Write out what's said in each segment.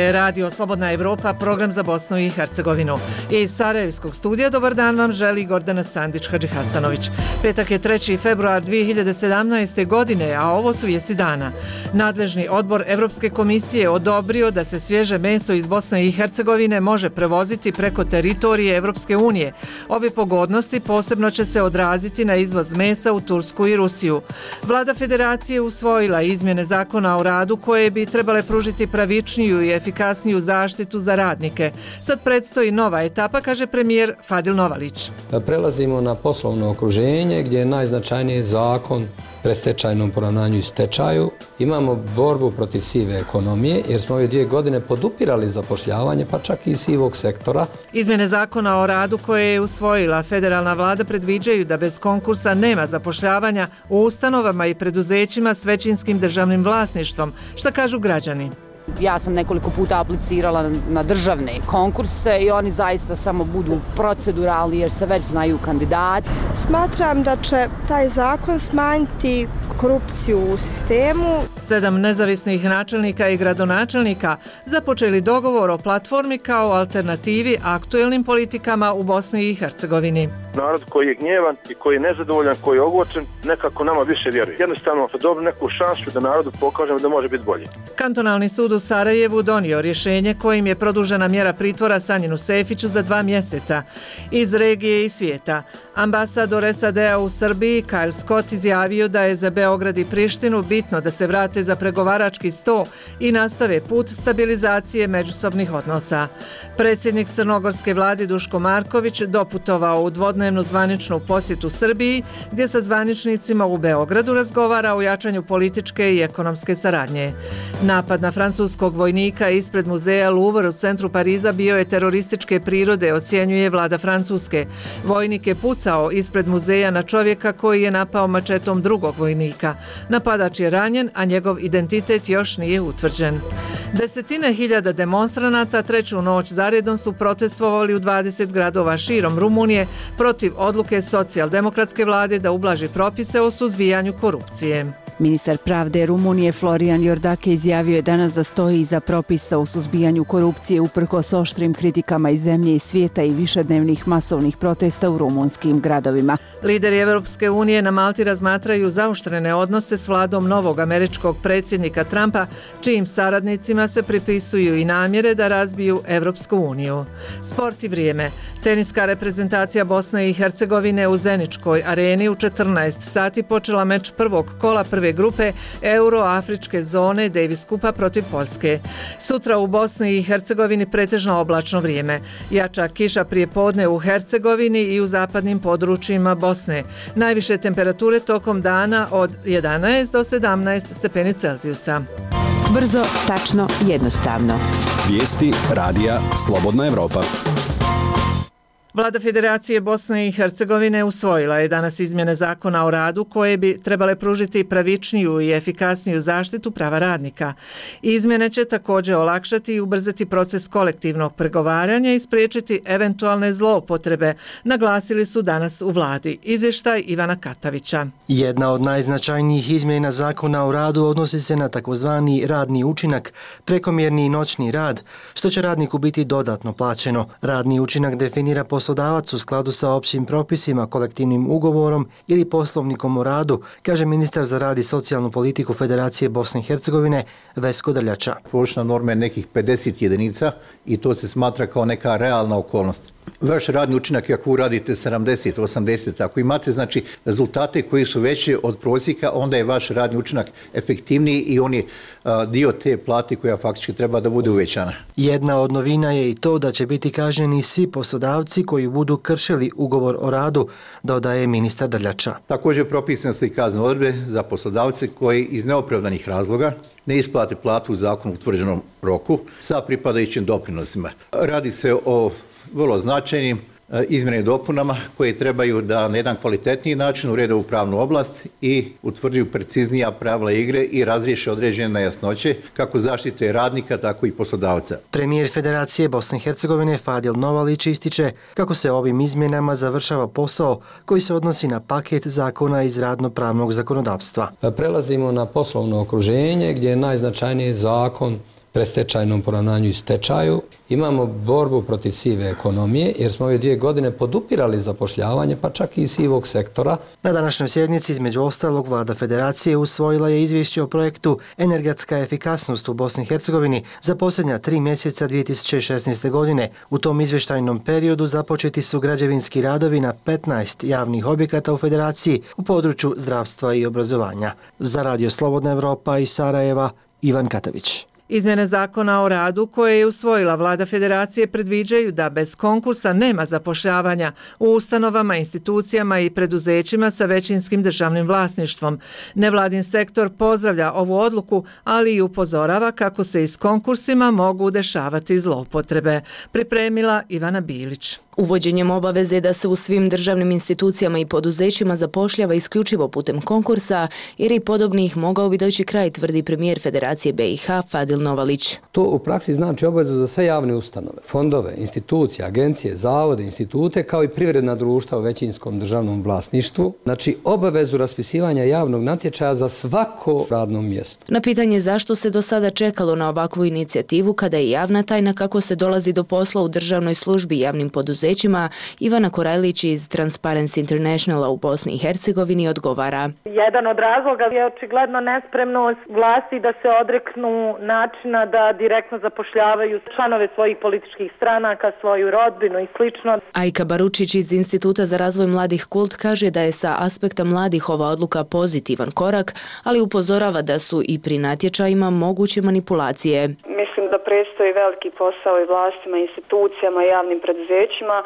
je Radio Slobodna Evropa, program za Bosnu i Hercegovinu. Iz Sarajevskog studija dobar dan vam želi Gordana Sandić-Hadžihasanović. Petak je 3. februar 2017. godine, a ovo su vijesti dana. Nadležni odbor Evropske komisije odobrio da se svježe meso iz Bosne i Hercegovine može prevoziti preko teritorije Evropske unije. Ove pogodnosti posebno će se odraziti na izvoz mesa u Tursku i Rusiju. Vlada Federacije usvojila izmjene zakona o radu koje bi trebale pružiti pravičniju i efikasniju zaštitu za radnike. Sad predstoji nova etapa, kaže premijer Fadil Novalić. Prelazimo na poslovno okruženje gdje je najznačajniji zakon predstečajnom poravnanju i stečaju. Imamo borbu protiv sive ekonomije jer smo ove 2 godine podupirali zapošljavanje, pa čak i sivog sektora. Izmjene zakona o radu koje je usvojila federalna vlada predviđaju da bez konkursa nema zapošljavanja u ustanovama i preduzećima s većinskim državnim vlasništvom. Šta kažu građani? Ja sam nekoliko puta aplicirala na državne konkurse i oni zaista samo budu proceduralni jer se već znaju kandidati. Smatram da će taj zakon smanjiti korupciju u sistemu. 7 nezavisnih načelnika i gradonačelnika započeli dogovor o platformi kao alternativi aktuelnim politikama u Bosni i Hercegovini. Narod koji je gnjevan i koji je nezadovoljan, koji je ogorčen, nekako nama više vjeruje. Jednostavno dobili neku šansu da narodu pokažemo da može biti bolje. Kantonalni sud u Sarajevu donio rješenje kojim je produžena mjera pritvora Sanjinu Sefiću za 2 mjeseca. Iz regije i svijeta. Ambasador SAD-a u Srbiji Kyle Scott izjavio da je za Beograd i Prištinu bitno da se vrate za pregovarački sto i nastave put stabilizacije međusobnih odnosa. Predsjednik crnogorske vlade Duško Marković doputovao u dvodnevnu zvaničnu posjetu Srbiji, gdje sa zvaničnicima u Beogradu razgovara o jačanju političke i ekonomske saradnje. Napad na francuskog vojnika ispred muzeja Louvre u centru Pariza bio je terorističke prirode, ocjenjuje vlada Francuske. Vojnik je pucao ispred muzeja na čovjeka koji je napao mačetom drugog vojnika. Napadač je ranjen, a njegov identitet još nije utvrđen. Desetine hiljada demonstranata treću noć zaredom su protestovali u 20 gradova širom Rumunije protiv odluke socijaldemokratske vlade da ublaži propise o suzbijanju korupcije. Ministar pravde Rumunije Florian Iordache izjavio je danas da stoji iza propisa o suzbijanju korupcije uprkos oštrim kritikama iz zemlje i svijeta i višednevnih masovnih protesta u rumunskim gradovima. Lideri Evropske unije na Malti razmatraju zaoštrene odnose s vladom novog američkog predsjednika Trumpa, čijim saradnicima se pripisuju i namjere da razbiju Evropsku uniju. Sport i vrijeme. Teniska reprezentacija Bosne i Hercegovine u Zeničkoj areni u 14 sati počela meč prvog kola prve grupe Euro-Afričke zone Davis Kupa protiv Poljske. Sutra u Bosni i Hercegovini pretežno oblačno vrijeme. Jača kiša prije podne u Hercegovini i u zapadnim područjima Bosne. Najviše temperature tokom dana od 11 do 17 stepeni Celzijusa. Brzo, tačno, jednostavno. Vijesti radija Slobodna Evropa. Vlada Federacije Bosne i Hercegovine usvojila je danas izmjene zakona o radu koje bi trebale pružiti pravičniju i efikasniju zaštitu prava radnika. Izmjene će također olakšati i ubrzati proces kolektivnog pregovaranja i spriječiti eventualne zloupotrebe, naglasili su danas u vladi. Izvještaj Ivana Katavića. Jedna od najznačajnijih izmjena zakona o radu odnosi se na takozvani radni učinak, prekomjerni i noćni rad, što će radniku biti dodatno plaćeno. Radni učinak definira poslodavac u skladu sa općim propisima, kolektivnim ugovorom ili poslovnikom o radu, kaže ministar za rad i socijalnu politiku Federacije Bosne i Hercegovine Vesko Drljača. Površna norma je nekih 50 jedinica i to se smatra kao neka realna okolnost. Vaš radni učinak, ako radite 70, 80, ako imate znači rezultate koji su veći od prosjeka, onda je vaš radni učinak efektivniji i on je dio te plate koja faktički treba da bude uvećana. Jedna od novina je i to da će biti kažnjeni svi poslodavci koji budu kršili ugovor o radu, dodaje ministar Drljača. Također propisane su i kaznene odredbe za poslodavce koji iz neopravdanih razloga ne isplate platu u zakonu utvrđenom roku sa pripadajućim doprinosima. Radi se o vrlo značajnim izmjenama i dopunama koje trebaju da na jedan kvalitetniji način urede ovu pravnu oblast i utvrđuju preciznija pravila igre i razriješe određene nejasnoće kako zaštite radnika, tako i poslodavca. Premijer Federacije Bosne i Hercegovine Fadil Novalić ističe kako se ovim izmjenama završava posao koji se odnosi na paket zakona iz radno-pravnog zakonodavstva. Prelazimo na poslovno okruženje gdje je najznačajniji zakon predstečajnom poravnanju i stečaju. Imamo borbu protiv sive ekonomije jer smo ove 2 godine podupirali zapošljavanje, pa čak i sivog sektora. Na današnjoj sjednici, između ostalog, Vlada Federacije usvojila je izvješće o projektu Energetska efikasnost u Bosni i Hercegovini za posljednja 3 mjeseca 2016. godine. U tom izvještajnom periodu započeti su građevinski radovi na 15 javnih objekata u Federaciji u području zdravstva i obrazovanja. Za Radio Slobodna Evropa iz Sarajeva, Ivan Katavić. Izmjene zakona o radu koje je usvojila Vlada Federacije predviđaju da bez konkursa nema zapošljavanja u ustanovama, institucijama i preduzećima sa većinskim državnim vlasništvom. Nevladin sektor pozdravlja ovu odluku, ali i upozorava kako se i s konkursima mogu dešavati zloupotrebe. Pripremila Ivana Bilić. Uvođenjem obaveze da se u svim državnim institucijama i poduzećima zapošljava isključivo putem konkursa, jer i podobnih mogao bi doći kraj, tvrdi premijer Federacije BiH Fadil Novalić. To u praksi znači obavezu za sve javne ustanove, fondove, institucije, agencije, zavode, institute, kao i privredna društva u većinskom državnom vlasništvu. Znači obavezu raspisivanja javnog natječaja za svako radno mjesto. Na pitanje zašto se do sada čekalo na ovakvu inicijativu kada je javna tajna kako se dolazi do posla u državnoj službi i javnim poduzećima, Ivana Korajlić iz Transparency Internationala u Bosni i Hercegovini odgovara. Jedan od razloga je očigledno nespremnost vlasti da se odreknu načina da direktno zapošljavaju članove svojih političkih stranaka, svoju rodbinu i slično. Ajka Baručić iz Instituta za razvoj mladih Kult kaže da je sa aspekta mladih ova odluka pozitivan korak, ali upozorava da su i pri natječajima moguće manipulacije. Mislim da predstoji veliki posao i vlastima, institucijama i javnim preduzećima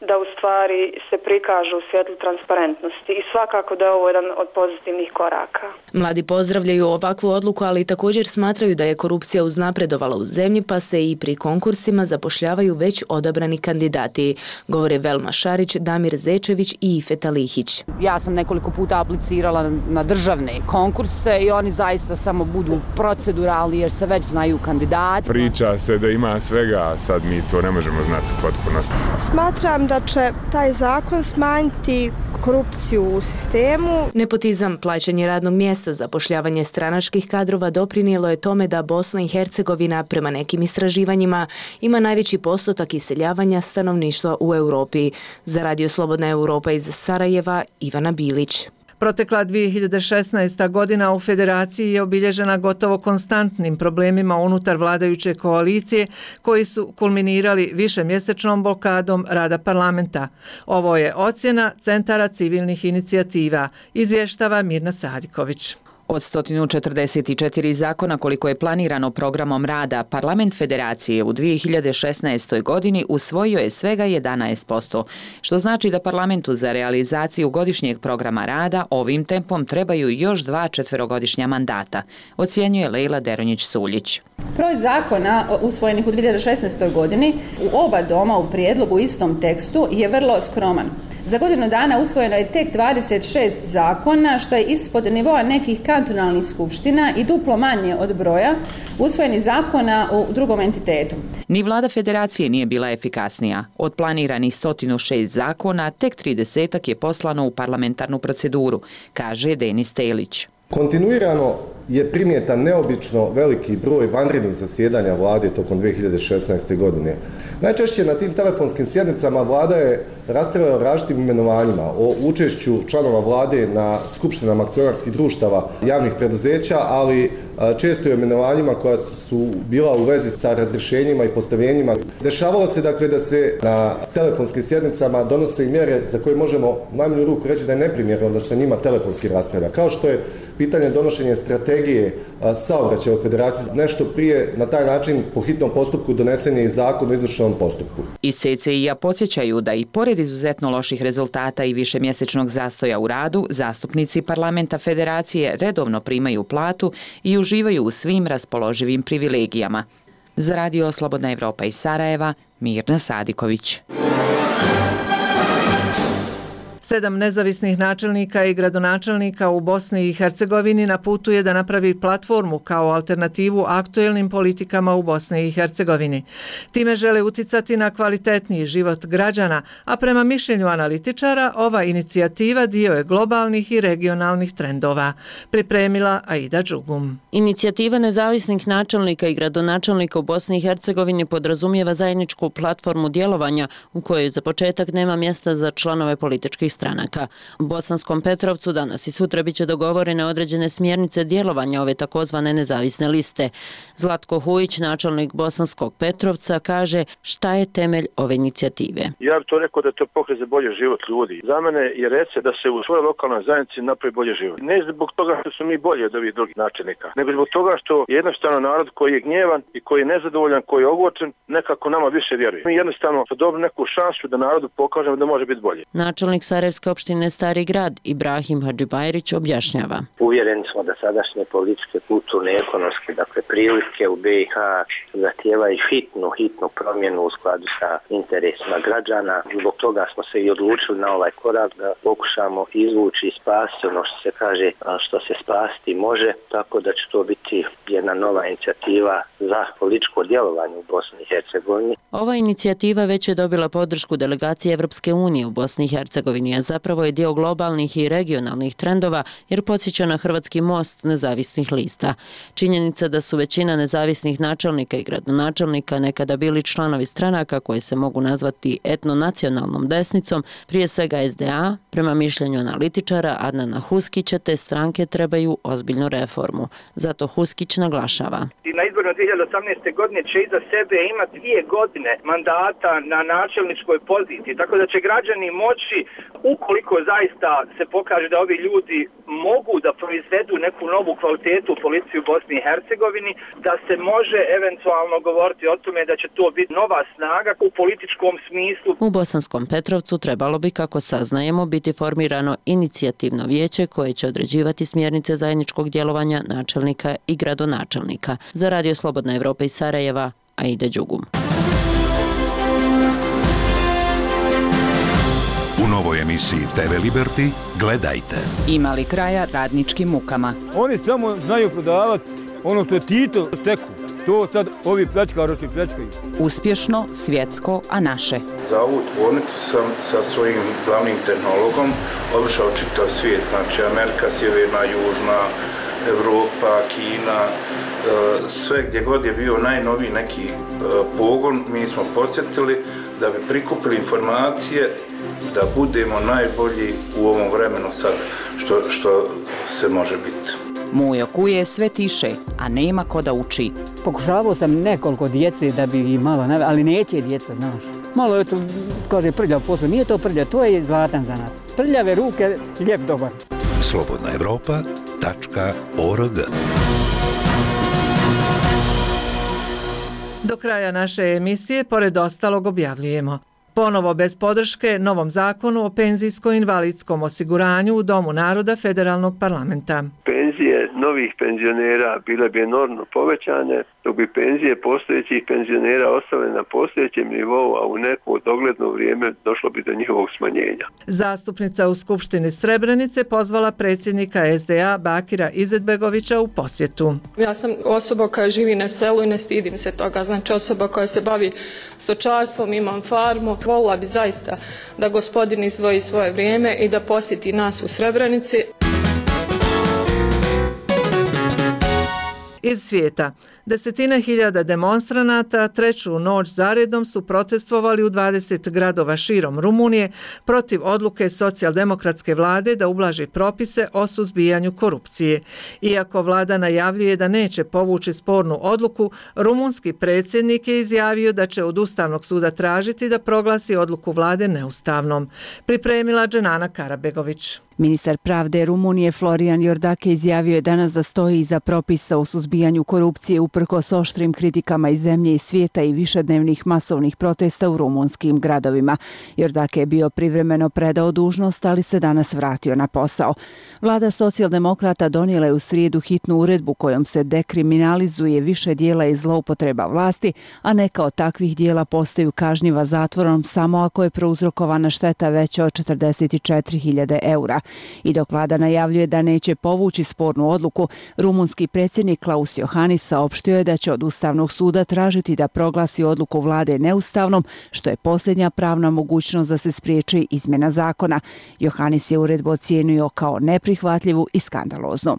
da u stvari se prikažu u svjetlu transparentnosti i svakako da je ovo jedan od pozitivnih koraka. Mladi pozdravljaju ovakvu odluku, ali također smatraju da je korupcija uznapredovala u zemlji, pa se i pri konkursima zapošljavaju već odabrani kandidati, govore Velma Šarić, Damir Zečević i Ifeta Lihić. Ja sam nekoliko puta aplicirala na državne konkurse i oni zaista samo budu proceduralni jer se već znaju kandidati. Priča se da ima svega, a sad mi to ne možemo znati u potpunosti. Smatram da će taj zakon smanjiti korupciju u sistemu. Nepotizam, plaćanje radnog mjesta, zapošljavanje stranačkih kadrova doprinijelo je tome da Bosna i Hercegovina, prema nekim istraživanjima, ima najveći postotak iseljavanja stanovništva u Europi. Za Radio Slobodna Evropa iz Sarajeva, Ivana Bilić. Protekla 2016. godina u Federaciji je obilježena gotovo konstantnim problemima unutar vladajuće koalicije koji su kulminirali višemjesečnom blokadom rada parlamenta. Ovo je ocjena Centara civilnih inicijativa, izvještava Mirna Sadiković. Od 144 zakona koliko je planirano programom rada, Parlament Federacije u 2016. godini usvojio je svega 11%, što znači da parlamentu za realizaciju godišnjeg programa rada ovim tempom trebaju još 2 četverogodišnja mandata, ocjenjuje Lejla Deronjić-Suljić. Broj zakona usvojenih u 2016. godini u oba doma u prijedlogu u istom tekstu je vrlo skroman. Za godinu dana usvojeno je tek 26 zakona, što je ispod nivoa nekih kantonalnih skupština i duplo manje od broja usvojenih zakona u drugom entitetu. Ni vlada Federacije nije bila efikasnija. Od planiranih 106 zakona, tek 30 je poslano u parlamentarnu proceduru, kaže Denis Telić. Kontinuirano je primjetan neobično veliki broj vanrednih zasjedanja vlade tokom 2016. godine. Najčešće na tim telefonskim sjednicama vlada je raspravljala o različitim imenovanjima, o učešću članova vlade na skupštinama akcionarskih društava javnih preduzeća, ali često i o imenovanjima koja su bila u vezi sa razrješenjima i postavljenjima. Dešavalo se dakle da se na telefonskim sjednicama donose i mjere za koje možemo u najmanju ruku reći da je neprimjerno da se njima telefonski raspravlja, kao što je pitanje donošenja strategije saobraćaja u Federaciji. Nešto prije na taj način po hitnom postupku donesen je i zakon o izvršnom postupku. Iz CCI-a podsjećaju da i pored izuzetno loših rezultata i višemjesečnog zastoja u radu, zastupnici Parlamenta Federacije redovno primaju platu i uživaju u svim raspoloživim privilegijama. Za Radio Slobodna Evropa iz Sarajeva, Mirna Sadiković. 7 nezavisnih načelnika i gradonačelnika u Bosni i Hercegovini na putu je da napravi platformu kao alternativu aktuelnim politikama u Bosni i Hercegovini. Time žele uticati na kvalitetniji život građana, a prema mišljenju analitičara ova inicijativa dio je globalnih i regionalnih trendova. Pripremila Aida Đugum. Inicijativa nezavisnih načelnika i gradonačelnika u Bosni i Hercegovini podrazumijeva zajedničku platformu djelovanja u kojoj za početak nema mjesta za članove političkih stranaka. U Bosanskom Petrovcu danas i sutra biće dogovorene određene smjernice djelovanja ove takozvane nezavisne liste. Zlatko Hujić, načelnik Bosanskog Petrovca, kaže šta je temelj ove inicijative. Ja bih to rekao da je to pokret za bolji život ljudi. Za mene je recept da se u svojoj lokalnoj zajednici napravi bolji život. Ne zbog toga što su mi bolji od ovih drugih načelnika, nego zbog toga što jednostavno narod koji je gnjevan i koji je nezadovoljan, koji je ogorčen, nekako nama više vjeruje. Mi jednostavno dobili neku šansu da narodu pokažemo da može biti bolje. Načelnik Sarajevske opštine Stari grad Ibrahim Hadžibajrić objašnjava. Uvjereni smo da sadašnje političke, kulturne, ekonomske, prilike u BiH zahtijevaju hitnu promjenu u skladu sa interesima građana. Zbog toga smo se i odlučili na ovaj korak da pokušamo izvući i spasiti ono što se kaže, što se spasiti može, tako da će to biti jedna nova inicijativa za političko djelovanje u Bosni i Hercegovini. Ova inicijativa već je dobila podršku delegacije Evropske unije u Bosni i Hercegovini, a zapravo je dio globalnih i regionalnih trendova jer podsjeća na hrvatski most nezavisnih lista. Činjenica da su većina nezavisnih načelnika i gradonačelnika nekada bili članovi stranaka koje se mogu nazvati etnonacionalnom desnicom, prije svega SDA, prema mišljenju analitičara Adnana Huskića, te stranke trebaju ozbiljnu reformu. Zato Huskić naglašava. Na izborima 2018. godine će iza sebe imati 2 godine mandata na načelničkoj poziciji, tako da će građani moći, ukoliko zaista se pokaže da ovi ljudi mogu da proizvedu neku novu kvalitetu u policiji u Bosni i Hercegovini, da se može eventualno govoriti o tome da će to biti nova snaga u političkom smislu. U Bosanskom Petrovcu trebalo bi, kako saznajemo, biti formirano inicijativno vijeće koje će određivati smjernice zajedničkog djelovanja načelnika i gradonačelnika. Za Radio Slobodna Evropa iz Sarajeva, Aida Đugum. U novoj emisiji TV Liberty gledajte. Ima li kraja radničkim mukama? Oni samo znaju prodavati ono što je Tito steku. To sad ovi pljačkaroši pljačkaju. Uspješno, svjetsko, a naše. Za ovu tvornicu sam sa svojim glavnim tehnologom obišao čitav svijet, znači Amerika, Sjeverna, Južna, Evropa, Kina, sve gdje god je bio najnoviji neki pogon, mi smo posjetili da bi prikupili informacije da budemo najbolji u ovom vremenu sad što se može biti. Mujo kuje sve tiše, a nema ko da uči. Pokušavao sam nekoliko djece da bi ih malo naveo, ali neće djeca, znaš. Malo je to, kaže, prljav posao. Nije to prljav, to je zlatan zanat. Prljave ruke, lijep dobar. slobodnaevropa.org. Do kraja naše emisije, pored ostalog, objavljujemo. Ponovo bez podrške novom zakonu o penzijsko-invalidskom osiguranju u Domu naroda Federalnog parlamenta. Penzije novih penzionera bile bi enormno povećane, dok bi penzije postojećih penzionera ostale na postojećem nivou, a u neko dogledno vrijeme došlo bi do njihovog smanjenja. Zastupnica u Skupštini Srebrenice pozvala predsjednika SDA Bakira Izetbegovića u posjetu. Ja sam osoba koja živi na selu i ne stidim se toga. Znači osoba koja se bavi stočarstvom, imam farmu. Volila bi zaista da gospodin izdvoji svoje vrijeme i da posjeti nas u Srebrenici. Iz svijeta. Desetine hiljada demonstranata treću noć zaredom su protestovali u 20 gradova širom Rumunije protiv odluke socijaldemokratske vlade da ublaži propise o suzbijanju korupcije. Iako vlada najavljuje da neće povući spornu odluku, rumunski predsjednik je izjavio da će od Ustavnog suda tražiti da proglasi odluku vlade neustavnom. Pripremila Dženana Karabegović. Ministar pravde Rumunije Florian Iordache izjavio je danas da stoji iza propisa o suzbijanju korupcije uprkos oštrim kritikama iz zemlje i svijeta i višednevnih masovnih protesta u rumunskim gradovima. Iordache je bio privremeno predao dužnost, ali se danas vratio na posao. Vlada socijaldemokrata donijela je u srijedu hitnu uredbu kojom se dekriminalizuje više dijela i zloupotreba vlasti, a neka od takvih dijela postaju kažnjiva zatvorom samo ako je prouzrokovana šteta veća od 44.000 eura. I dok vlada najavljuje da neće povući spornu odluku, rumunski predsjednik Klaus Iohannis saopštio je da će od Ustavnog suda tražiti da proglasi odluku vlade neustavnom, što je posljednja pravna mogućnost da se spriječi izmjena zakona. Iohannis je uredbu ocijenio kao neprihvatljivu i skandaloznu.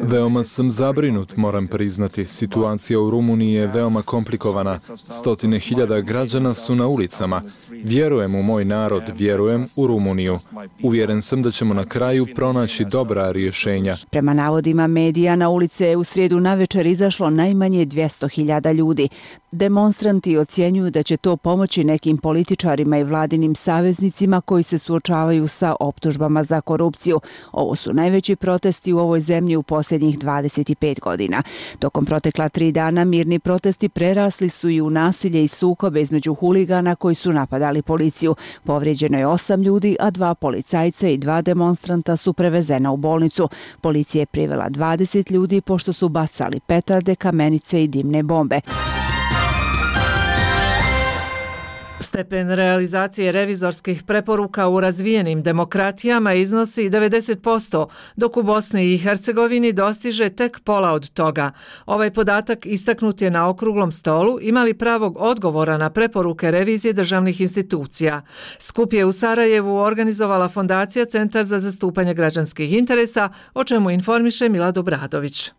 Veoma sam zabrinut, moram priznati. Situacija u Rumuniji je veoma komplikovana. Stotine hiljada građana su na ulicama. Vjerujem u moj narod, vjerujem u Rumuniju. Uvjeren sam da ćemo na kraju pronaći dobra rješenja. Prema navodima medija, na ulice je u srijedu navečer izašlo najmanje 200.000 ljudi. Demonstranti ocjenjuju da će to pomoći nekim političarima i vladinim saveznicima koji se suočavaju sa optužbama za korupciju. Ovo su najveći protesti u ovoj zemlji u posljednjih 25 godina. Tokom protekla 3 dana mirni protesti prerasli su i u nasilje i sukobe između huligana koji su napadali policiju. Povrijeđeno je 8 ljudi, a 2 policajca i 2 demonstranta su prevezena u bolnicu. Policija je privela 20 ljudi pošto su bacali petarde, kamenice i dimne bombe. Stepen realizacije revizorskih preporuka u razvijenim demokratijama iznosi 90%, dok u Bosni i Hercegovini dostiže tek pola od toga. Ovaj podatak istaknut je na okruglom stolu imali pravog odgovora na preporuke revizije državnih institucija. Skup je u Sarajevu organizovala Fondacija Centar za zastupanje građanskih interesa, o čemu informiše Milad Obradović.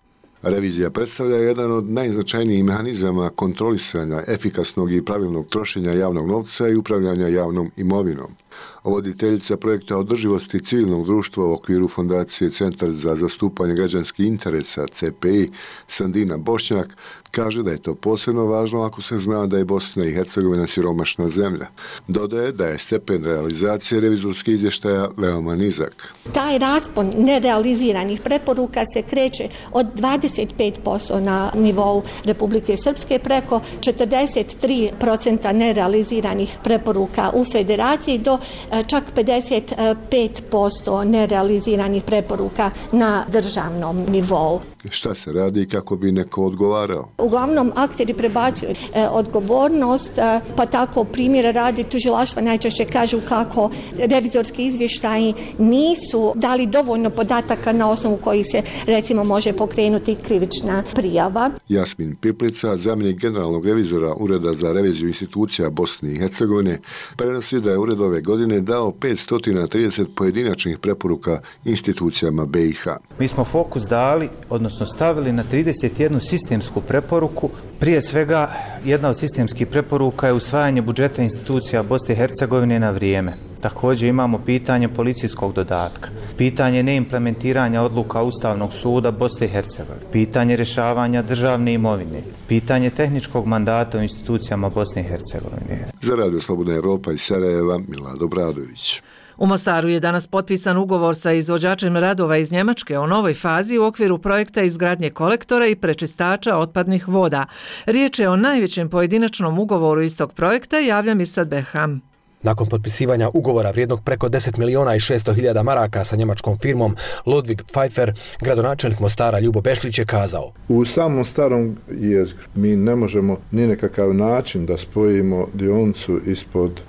Revizija predstavlja jedan od najznačajnijih mehanizama kontrolisanja efikasnog i pravilnog trošenja javnog novca i upravljanja javnom imovinom. Voditeljica projekta održivosti civilnog društva u okviru Fondacije Centar za zastupanje građanskih interesa CPI Sandina Bošnjak kaže da je to posebno važno ako se zna da je Bosna i Hercegovina siromašna zemlja. Dodaje da je stepen realizacije revizorskih izvještaja veoma nizak. Taj raspon nerealiziranih preporuka se kreće od 25% na nivou Republike Srpske preko 43% nerealiziranih preporuka u Federaciji do čak 55% nerealiziranih preporuka na državnom nivou. Šta se radi kako bi neko odgovarao? Uglavnom, akteri prebacuju odgovornost, pa tako primjera radi tužilaštva najčešće kažu kako revizorski izvještaji nisu dali dovoljno podataka na osnovu kojih se recimo može pokrenuti krivična prijava. Jasmin Piplica, zamjenik generalnog revizora Ureda za reviziju institucija Bosne i Hercegovine, prenosi da je ured ove godine dao 530 pojedinačnih preporuka institucijama BiH. Mi smo fokus dali, odnosno stavili na 31 sistemsku preporuku. Prije svega, jedna od sistemskih preporuka je usvajanje budžeta institucija Bosne i Hercegovine na vrijeme. Također imamo pitanje policijskog dodatka, pitanje neimplementiranja odluka Ustavnog suda Bosne i Hercegovine, pitanje rješavanja državne imovine, pitanje tehničkog mandata u institucijama Bosne i Hercegovine. Za Radio Slobodna Evropa iz Sarajeva, Milad Obradović. U Mostaru je danas potpisan ugovor sa izvođačem radova iz Njemačke o novoj fazi u okviru projekta izgradnje kolektora i prečistača otpadnih voda. Riječ je o najvećem pojedinačnom ugovoru istog projekta, javlja Mirsad Berham. Nakon potpisivanja ugovora vrijednog preko 10 miliona i 600 hiljada maraka sa njemačkom firmom Ludwig Pfeiffer, gradonačelnik Mostara Ljubo Bešlić je kazao: U samom starom jezgru mi ne možemo ni nekakav način da spojimo dionicu ispod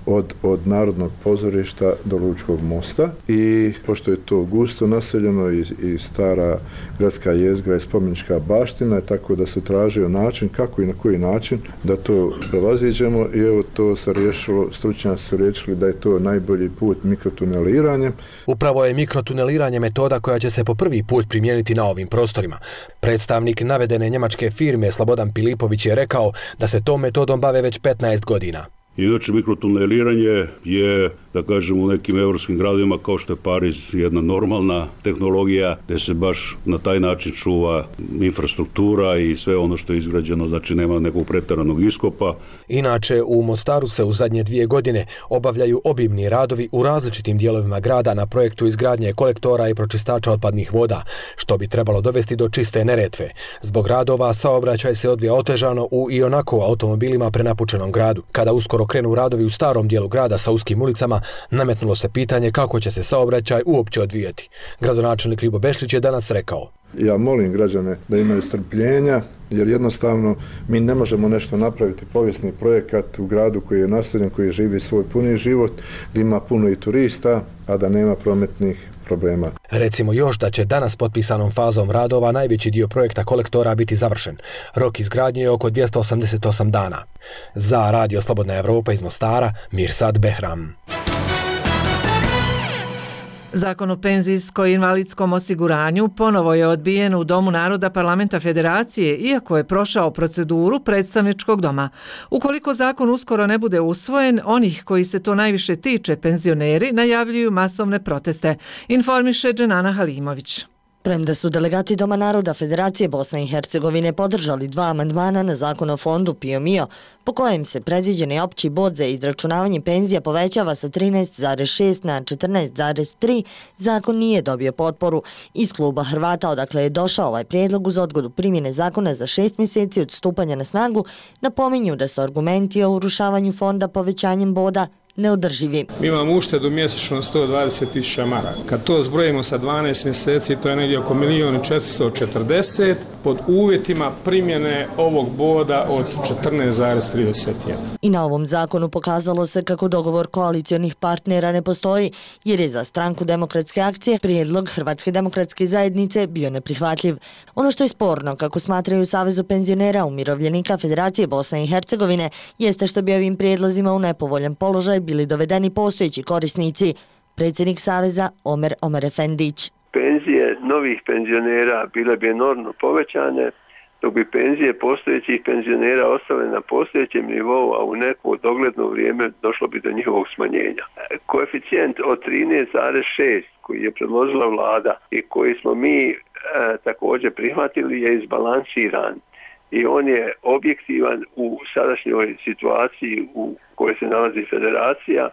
od Narodnog pozorišta do Lučkog mosta, i pošto je to gusto naseljeno i stara gradska jezgra i spomenička baština, tako da se tražio način kako i na koji način da to prevaziđemo, i evo to se riješilo, stručnjaci su riješili da je to najbolji put mikrotuneliranje. Upravo je mikrotuneliranje metoda koja će se po prvi put primijeniti na ovim prostorima. Predstavnik navedene njemačke firme Slobodan Pilipović je rekao da se tom metodom bave već 15 godina. Inače, mikrotuneliranje je, da kažem, u nekim evropskim gradovima kao što je Pariz jedna normalna tehnologija gdje se baš na taj način čuva infrastruktura i sve ono što je izgrađeno, znači nema nekog pretjeranog iskopa. Inače, u Mostaru se u zadnje 2 godine obavljaju obimni radovi u različitim dijelovima grada na projektu izgradnje kolektora i pročistača otpadnih voda, što bi trebalo dovesti do čiste Neretve. Zbog radova saobraćaj se odvija otežano u ionako automobilima prenapučenom gradu. Kada uskoro krenu radovi u starom dijelu grada sa uskim ulicama, nametnulo se pitanje kako će se saobraćaj uopće odvijati. Gradonačelnik Ljubo Bešlić je danas rekao: Ja molim građane da imaju strpljenja, jer jednostavno mi ne možemo nešto napraviti povijesni projekat u gradu koji je naseljen, koji živi svoj puni život, gdje ima puno i turista, a da nema prometnih problema. Recimo još da će danas potpisanom fazom radova najveći dio projekta kolektora biti završen. Rok izgradnje je oko 288 dana. Za Radio Slobodna Evropa iz Mostara, Mirsad Behram. Zakon o penzijsko-invalidskom osiguranju ponovo je odbijen u Domu naroda Parlamenta Federacije, iako je prošao proceduru predstavničkog doma. Ukoliko zakon uskoro ne bude usvojen, onih koji se to najviše tiče, penzioneri, najavljuju masovne proteste, informiše Dženana Halimović. Premda su delegati Doma naroda Federacije Bosne i Hercegovine podržali 2 amandmana na zakon o fondu PIO-MIO, po kojem se predviđeni opći bod za izračunavanje penzija povećava sa 13,6 na 14,3, zakon nije dobio potporu. Iz kluba Hrvata, odakle je došao ovaj prijedlog uz odgodu primjene zakona za 6 mjeseci od stupanja na snagu, napominju da su argumenti o urušavanju fonda povećanjem boda neodrživi. Mi imamo uštedu mjesečno 120.000 maraka. Kad to zbrojimo sa 12 mjeseci, to je negdje oko 1.440.000 pod uvjetima primjene ovog boda od 14,31. I na ovom zakonu pokazalo se kako dogovor koalicionih partnera ne postoji, jer je za Stranku demokratske akcije prijedlog Hrvatske demokratske zajednice bio neprihvatljiv. Ono što je sporno, kako smatraju Savezu penzionera umirovljenika Federacije Bosne i Hercegovine, jeste što bi ovim prijedlozima u nepovoljan položaj bili dovedeni postojeći korisnici. Predsjednik Saveza Omer Efendić. Penzije novih penzionera bile bi enormno povećane, dok bi penzije postojećih penzionera ostale na postojećem nivou, a u neko dogledno vrijeme došlo bi do njihovog smanjenja. Koeficijent od 13,6 koji je predložila vlada i koji smo mi također prihvatili je izbalansiran i on je objektivan u sadašnjoj situaciji u kojoj se nalazi federacija,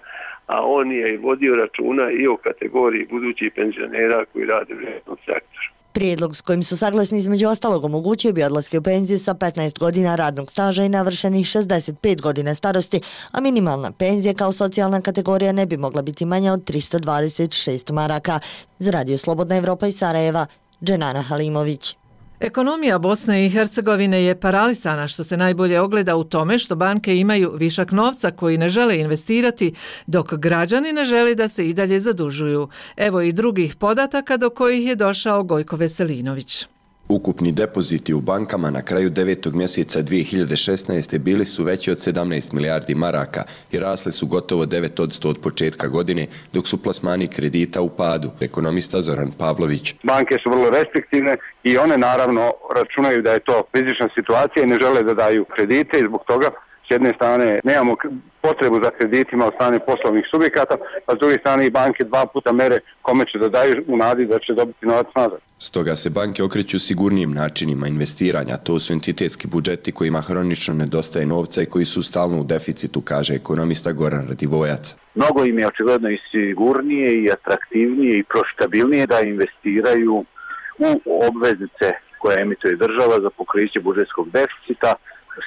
a on je i vodio računa i o kategoriji budućih penzionera koji rade u javnom sektoru. Prijedlog s kojim su saglasni između ostalog omogućio bi odlaske u penziju sa 15 godina radnog staža i navršenih 65 godina starosti, a minimalna penzija kao socijalna kategorija ne bi mogla biti manja od 326 maraka. Za Radio Slobodna Evropa iz Sarajeva, Dženana Halimović. Ekonomija Bosne i Hercegovine je paralisana, što se najbolje ogleda u tome što banke imaju višak novca koji ne žele investirati, dok građani ne žele da se i dalje zadužuju. Evo i drugih podataka do kojih je došao Gojko Veselinović. Ukupni depoziti u bankama na kraju 9. mjeseca 2016. bili su veći od 17 milijardi maraka i rasli su gotovo 9% od početka godine, dok su plasmani kredita u padu. Ekonomista Zoran Pavlović. Banke su vrlo restriktivne i one naravno računaju da je to rizična situacija i ne žele da daju kredite i zbog toga s jedne strane nemamo potrebu za kreditima od strane poslovnih subjekata, a s druge strane i banke 2 puta mere kome će da daju u nadi da će dobiti novac nazad. Stoga se banke okreću sigurnijim načinima investiranja. To su entitetski budžeti kojima hronično nedostaje novca i koji su stalno u deficitu, kaže ekonomista Goran Radivojac. Mnogo im je očigledno i sigurnije i atraktivnije i profitabilnije da investiraju u obveznice koje emituje država za pokriće budžetskog deficita.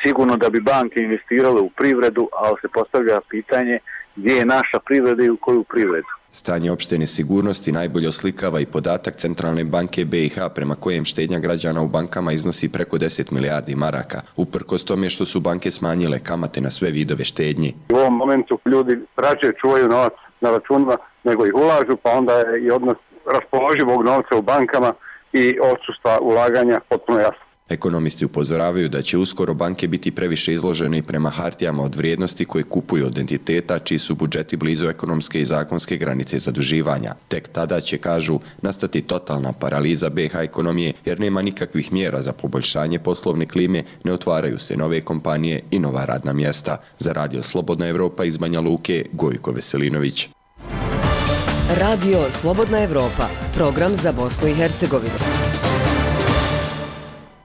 Sigurno da bi banke investirale u privredu, ali se postavlja pitanje gdje je naša privreda i u koju privredu. Stanje opšte nesigurnosti najbolje oslikava i podatak Centralne banke BiH prema kojem štednja građana u bankama iznosi preko 10 milijardi maraka, uprkos tome što su banke smanjile kamate na sve vidove štednje. U ovom momentu ljudi rađe čuvaju novac na računima nego ih ulažu, pa onda je i odnos raspoloživog novca u bankama i odsustva ulaganja potpuno jasno. Ekonomisti upozoravaju da će uskoro banke biti previše izložene i prema hartijama od vrijednosti koje kupuju od entiteta čiji su budžeti blizu ekonomske i zakonske granice zaduživanja. Tek tada će, kažu, nastati totalna paraliza BiH ekonomije jer nema nikakvih mjera za poboljšanje poslovne klime, ne otvaraju se nove kompanije i nova radna mjesta. Za Radio Slobodna Evropa iz Banja Luke, Gojko Veselinović. Radio Slobodna Evropa, program za Bosnu i Hercegovinu.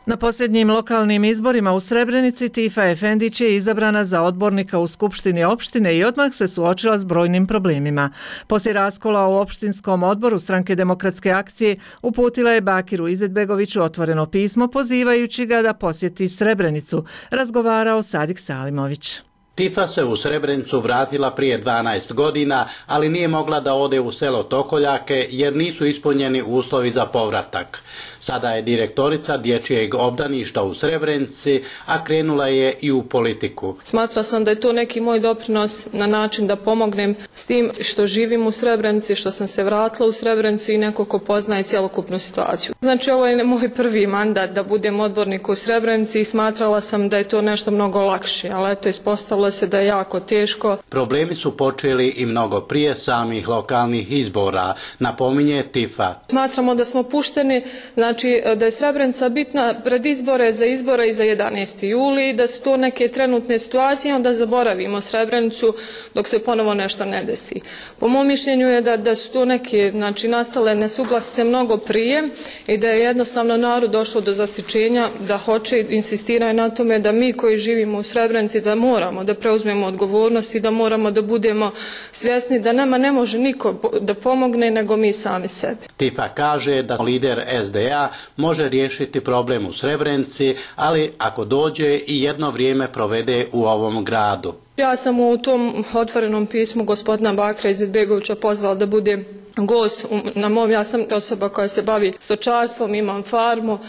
Na posljednjim lokalnim izborima u Srebrenici Tifa Efendić je izabrana za odbornika u Skupštini opštine i odmah se suočila s brojnim problemima. Poslije raskola u opštinskom odboru Stranke demokratske akcije uputila je Bakiru Izetbegoviću otvoreno pismo pozivajući ga da posjeti Srebrenicu, razgovarao Sadik Salimović. Tifa se u Srebrenicu vratila prije 12 godina, ali nije mogla da ode u selo Tokoljake jer nisu ispunjeni uslovi za povratak. Sada je direktorica dječjeg obdaništa u Srebrenici, a krenula je i u politiku. Smatrala sam da je to neki moj doprinos na način da pomognem s tim što živim u Srebrenici, što sam se vratila u Srebrenicu i neko ko poznaje cjelokupnu situaciju. Znači ovo je moj prvi mandat da budem odbornik u Srebrenici i smatrala sam da je to nešto mnogo lakše, ali eto ispostavilo se da je jako teško. Problemi su počeli i mnogo prije samih lokalnih izbora, napominje Tifa. Smatramo da smo pušteni, znači da je Srebrenica bitna pred izbore i za 11. juli, da su to neke trenutne situacije, onda zaboravimo Srebrenicu dok se ponovo nešto ne desi. Po mom mišljenju je da su to neke, znači nastale nesuglasice mnogo prije i da je jednostavno narod došlo do zasićenja da hoće, insistiraju na tome da mi koji živimo u Srebrenici da moramo da preuzmemo odgovornost i da moramo da budemo svjesni da nama ne može niko da pomogne nego mi sami sebi. Tifa kaže da lider SDA može riješiti problem u Srebrenici, ali ako dođe i jedno vrijeme provede u ovom gradu. Ja sam u tom otvorenom pismu gospodina Bakira Izetbegovića pozvala da bude gost na mom, ja sam osoba koja se bavi stočarstvom, imam farmu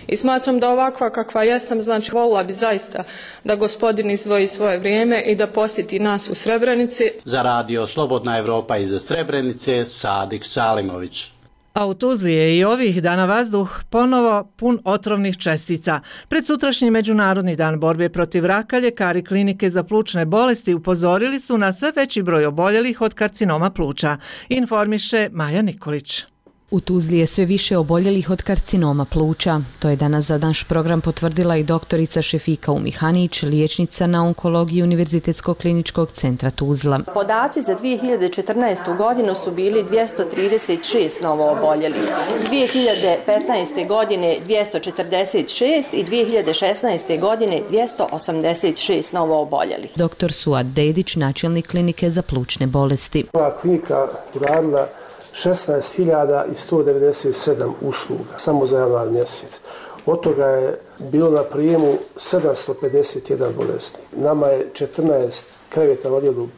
i smatram da ovakva kakva jesam, znači volila bi zaista da gospodin izdvoji svoje vrijeme i da posjeti nas u Srebrenici. Za Radio Slobodna Evropa iz Srebrenice, Sadik Salimović. A u Tuzli je i ovih dana vazduh ponovo pun otrovnih čestica. Pred sutrašnji Međunarodni dan borbe protiv raka ljekari klinike za plućne bolesti upozorili su na sve veći broj oboljelih od karcinoma pluća, informiše Maja Nikolić. U Tuzli je sve više oboljelih od karcinoma pluća. To je danas za naš program potvrdila i doktorica Šefika Umihanić, liječnica na onkologiji Univerzitetskog kliničkog centra Tuzla. Podaci za 2014. godinu su bili 236 novo oboljelih, 2015. godine 246 i 2016. godine 286 novo oboljelih. Dr. Suad Dedić, načelnik klinike za plućne bolesti. Ova klinika uradila 16.197 usluga, samo za januar mjesec. Od toga je bilo na prijemu 751 bolesnik. Nama je 14 kreveta u odjelu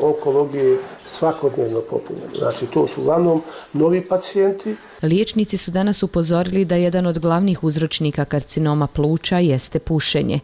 onkologije svakodnevno popunjeno. Znači, to su uglavnom novi pacijenti. Liječnici su danas upozorili da jedan od glavnih uzročnika karcinoma pluća jeste pušenje.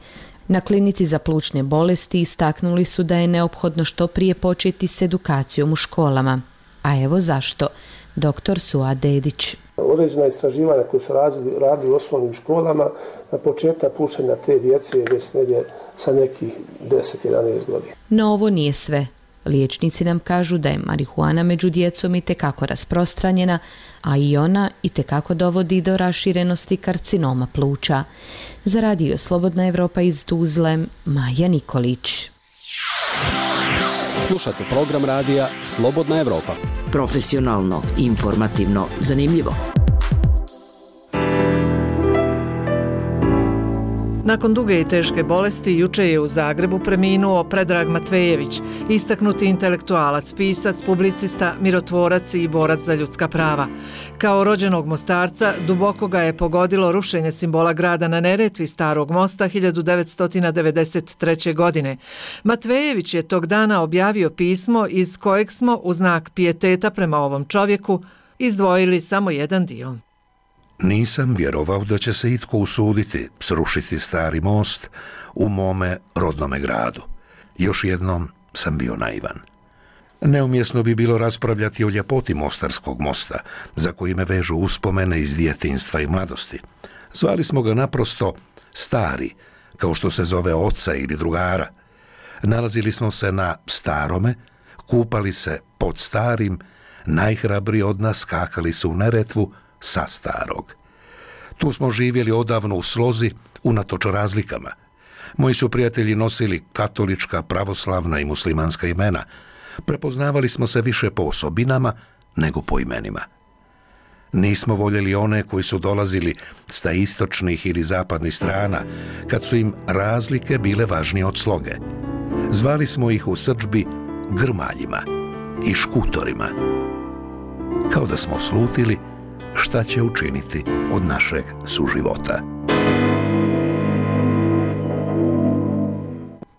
Na klinici za plućne bolesti istaknuli su da je neophodno što prije početi s edukacijom u školama. A evo zašto. Dr. Suad Dedić. Određena istraživanja koje su radili u osnovnim školama na početak pušenja te djece je već negdje sa nekih 10-11 godina. No ovo nije sve. Liječnici nam kažu da je marihuana među djecom itekako rasprostranjena, a i ona itekako dovodi do raširenosti karcinoma pluća. Za Radio Slobodna Evropa iz Tuzle, Maja Nikolić. Slušate program radija Slobodna Evropa. Profesionalno, informativno, zanimljivo. Nakon duge i teške bolesti, juče je u Zagrebu preminuo Predrag Matvejević, istaknuti intelektualac, pisac, publicista, mirotvorac i borac za ljudska prava. Kao rođenog Mostarca, duboko ga je pogodilo rušenje simbola grada na Neretvi Starog mosta 1993. godine. Matvejević je tog dana objavio pismo iz kojeg smo, u znak pijeteta prema ovom čovjeku, izdvojili samo jedan dio. Nisam vjerovao da će se itko usuditi srušiti stari most u mome rodnome gradu. Još jednom sam bio naivan. Neumjesno bi bilo raspravljati o ljepoti Mostarskog mosta, za koji me vežu uspomene iz djetinjstva i mladosti. Zvali smo ga naprosto stari, kao što se zove oca ili drugara. Nalazili smo se na Starome, kupali se pod Starim, najhrabriji od nas skakali su u Neretvu sa Starog. Tu smo živjeli odavno u slozi, unatoč razlikama. Moji su prijatelji nosili katolička, pravoslavna i muslimanska imena. Prepoznavali smo se više po osobinama nego po imenima. Nismo voljeli one koji su dolazili sa istočnih ili zapadnih strana, kad su im razlike bile važnije od sloge. Zvali smo ih u srdžbi grmaljima i škutorima. Kao da smo slutili šta će učiniti od našeg suživota.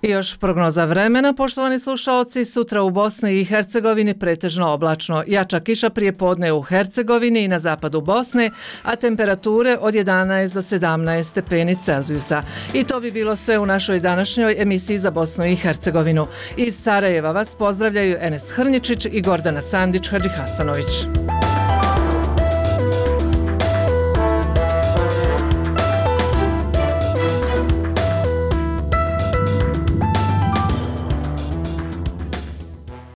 I još prognoza vremena, poštovani slušaoci, sutra u Bosni i Hercegovini pretežno oblačno. Jača kiša prije podne u Hercegovini i na zapadu Bosne, a temperature od 11 do 17 stepeni Celzijusa. I to bi bilo sve u našoj današnjoj emisiji za Bosnu i Hercegovinu. Iz Sarajeva vas pozdravljaju Enes Hrnjičić i Gordana Sandić-Hadžihasanović.